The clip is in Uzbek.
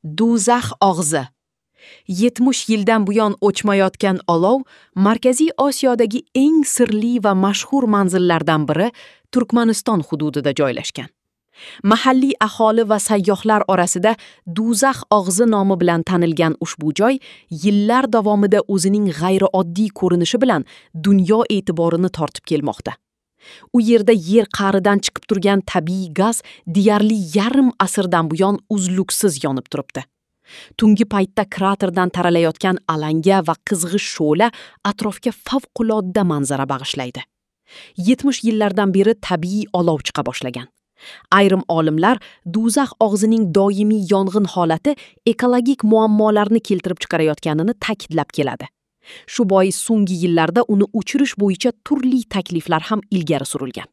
Do'zax og'zi. 70 yildan buyon o'chmayotgan olov Markaziy Osiyodagi eng sirli va mashhur manzillardan biri Turkmaniston hududida joylashgan. Mahalliy aholi va sayyohlar orasida Do'zax og'zi nomi bilan tanilgan ushbu joy yillar davomida o'zining g'ayrioddiy ko'rinishi bilan dunyo e'tiborini tortib kelmoqda. U yerda yer qa'ridan chiqib turgan tabiiy gaz deyarli yarim asrdan buyon uzluksiz yonib turibdi. Tungi paytda kraterdan taralayotgan alanga va qizg'ish shu'la atrofga favqulodda manzara bag'ishlaydi. 70 yillardan beri tabiiy olov chiqa boshlagan. Ayrim olimlar do'zax og'zining doimiy yong'in holati ekologik muammolarni keltirib chiqarayotganini ta'kidlab keladi. Shu bois so'nggi yillarda uni o'chirish bo'yicha turli takliflar ham ilgari surilgan.